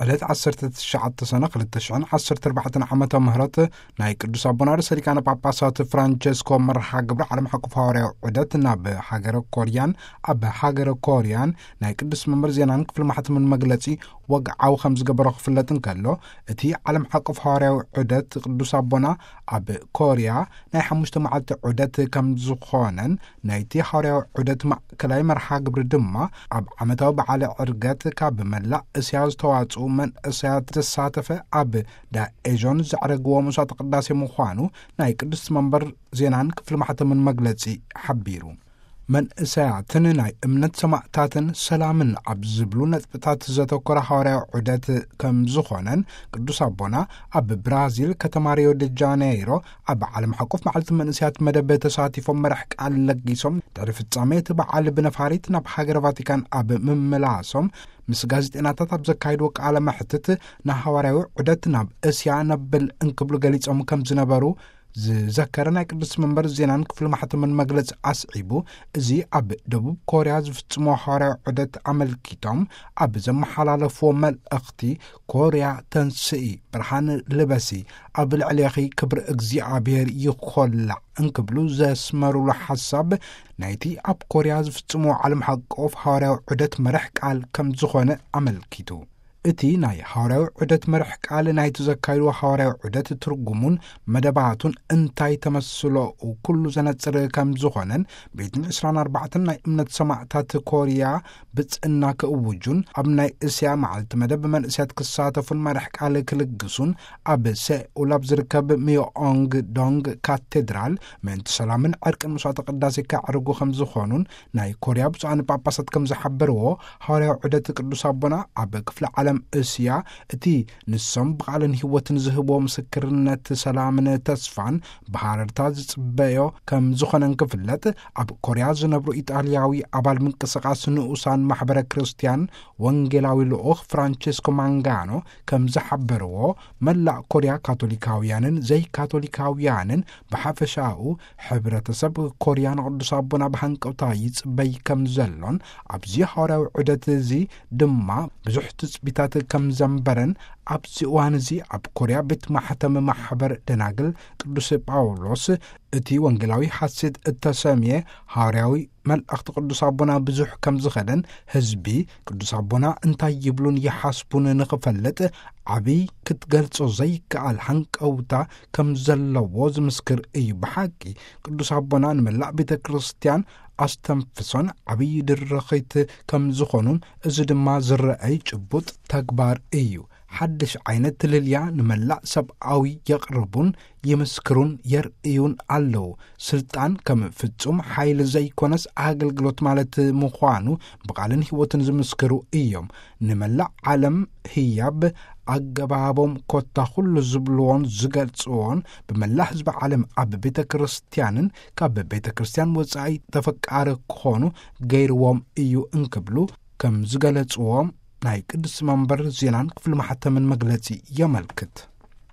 ዕለት ዓሰርተ ትሽዓተ ሰነ ክልተ ሽሕን ዓሰርተ ኣርባዕተን ዓመተ ምህረት ናይ ቅዱስ ኣቦና ርእሰ ሊቃነ ጳጳሳት ፍራንቸስኮ መርሃ ግብሪ ዓለም ሓቆፍ ሃዋርያዊ ዑደት ናብ ሃገረ ኮርያን፣ ኣብ ሃገረ ኮርያን ናይ ቅዱስ መንበር ዜናን ክፍሊ ማሕተምን መግለጺ ወግዓዊ ከም ዝገበሮ ክፍለጥ እንከሎ፣ እቲ ዓለም ሓቆፍ ሃዋርያዊ ዑደት ቅዱስ ኣቦና ኣብ ኮርያ ናይ ሓሙሽተ መዓልቲ ዑደት ከም ዝኾነን፣ ናይቲ ሃዋርያዊ ዑደት ማእከላይ መርሃ ግብሪ ድማ ኣብ ዓመታዊ በዓለ ዕርገት ካብ መላእ እስያ ዝተዋጽኡ መንእሰያት ዘሳተፈ ኣብ ዳኤዦን ዘዕረግዎ መስዋዕተ ቅዳሴ ምዃኑ ናይ ቅድስቲ መንበር ዜናን ክፍሊ ማሕተምን መግለጺ ሓቢሩ። መንእሰያትን ናይ እምነት ሰማእታትን ሰላምን ኣብ ዝብሉ ነጥብታት ዘተኮረ ሃዋርያዊ ዑደት ከም ዝኾነን፣ ቅዱስ ኣቦና ኣብ ብራዚል ከተማ ሪዮ ደ ጃኔይሮ ኣብ ዓለም ሓቆፍ መዓልቲ መንእሰያት መደብ ተሳቲፎም መራሕ ቃል ለጊሶም፣ ድሕሪ ፍጻሜ እቲ በዓል ብነፋሪት ናብ ሃገረ ቫቲካን ኣብ ምምላሶም ምስ ጋዜጠኛታት ኣብ ዘካየድዎ ቃለ መሕትት፣ ንሃዋርያዊ ዑደት ናብ እስያ ነብል እንክብሉ ገሊጾም ከም ዝነበሩ ዝዘከረ ናይ ቅዱስ መንበር ዜናን ክፍሊ ማሕተምን መግለጺ ኣስዒቡ፣ እዚ ኣብ ደቡብ ኮርያ ዝፍጽሞ ሃዋርያዊ ዑደት ኣመልኪቶም ኣብ ዘመሓላለፍዎ መልእኽቲ፣ "ኮርያ ተንስኢ፣ ብርሃን ልበሲ፣ ኣብ ልዕሌኺ ክብሪ እግዚኣብሔር ይኾላዕ" እንክብሉ ዘስመሩሉ ሓሳብ፣ ናይቲ ኣብ ኮርያ ዝፍጽሞ ዓለም ሓቆፍ ሃዋርያዊ ዑደት መራሕ ቃል ከም ዝኾነ ኣመልኪቱ። እቲ ናይ ሃዋርያዊ ዑደት መራሕ ቃል ናይቲ ዘካየድዎ ሃዋርያዊ ዑደት ትርጉሙን መደባቱን እንታይ ተመስሎ ኩሉ ዘነጽር ከም ዝኾነን፣ ቤትን ዕስራን ኣርባዕተን ናይ እምነት ሰማእታት ኮርያ ብጽእና ክእውጁን፣ ኣብ ናይ እስያ መዓልቲ መደብ መንእሰያት ክሳተፉን መራሕ ቃል ክልግሱን፣ ኣብ ሴኡል ኣብ ዝርከብ ሚዮኦንግ ዶንግ ካቴድራል ምእንቲ ሰላምን ዕርቅን መስዋዕተ ቅዳሴ ከዕርጉ ከም ዝኾኑን፣ ናይ ኮርያ ብፁዓን ጳጳሳት ከም ዝሓበርዎ፣ ሃዋርያዊ ዑደት ቅዱስ ኣቦና ኣብ ክፍለ ዓለም እስያ፣ እቲ ንሶም ብቓልን ህይወትን ዝህብዎ ምስክርነት ሰላምን ተስፋን ብሃረርታ ዝጽበዮ ከም ዝኾነን ክፍለጥ፣ ኣብ ኮርያ ዝነብሩ ኢጣልያዊ ኣባል ምንቅስቓስ ንኡሳን ማሕበረ ክርስትያን ወንጌላዊ ልኡኽ ፍራንቸስኮ ማንጋኖ ከም ዝሓበርዎ፣ መላእ ኮርያ ካቶሊካውያንን ዘይካቶሊካውያንን ብሓፈሻኡ፣ ሕብረተሰብ ኮርያ ንቅዱስ ኣቦና ብሃንቀውታ ይጽበይ ከም ዘሎን፣ ኣብዚ ሃዋርያዊ ዑደት እዚ ድማ ብዙሕ ትጽቢታት ከም ዘንበረን፣ ኣብዚ እዋን እዚ ኣብ ኮርያ ቤት ማሕተም ማሕበር ደናግል ቅዱስ ጳውሎስ እቲ ወንጌላዊ ሓሴት እተሰምየ ሃዋርያዊ መልእኽቲ ቅዱስ ኣቦና ብዙሕ ከም ዝኸደን፣ ህዝቢ ቅዱስ ኣቦና እንታይ ይብሉን ይሓስቡን ንኽፈልጥ ዓብይ ክትገልጾ ዘይከኣል ሃንቀውታ ከም ዘለዎ ዝምስክር እዩ። ብሓቂ ቅዱስ ኣቦና ንመላእ ቤተ ክርስቲያን ኣስተንፍሶን ዓብይ ድርኺት ከም ዝኾኑን፣ እዚ ድማ ዝረኣይ ጭቡጥ ተግባር እዩ። ሓድሽ ዓይነት ትልልያ ንመላእ ሰብኣዊ የቕርቡን ይምስክሩን የርእዩን ኣለዉ። ስልጣን ከም ፍጹም ሓይሊ ዘይኮነስ ኣገልግሎት ማለት ምዃኑ ብቓልን ህይወትን ዝምስክሩ እዮም። ንመላእ ዓለም ህያብ ኣገባቦም ኮታ ኩሉ ዝብልዎን ዝገልጽዎን፣ ብመላእ ህዝቢ ዓለም ኣብ ቤተ ክርስቲያንን ካብ ቤተ ክርስቲያን ወጻኢ ተፈቃሪ ክኾኑ ገይርዎም እዩ እንክብሉ ከም ዝገለጽዎም ናይ ቅድስቲ መንበር ዜናን ክፍሊ ማሕተምን መግለጺ የመልክት።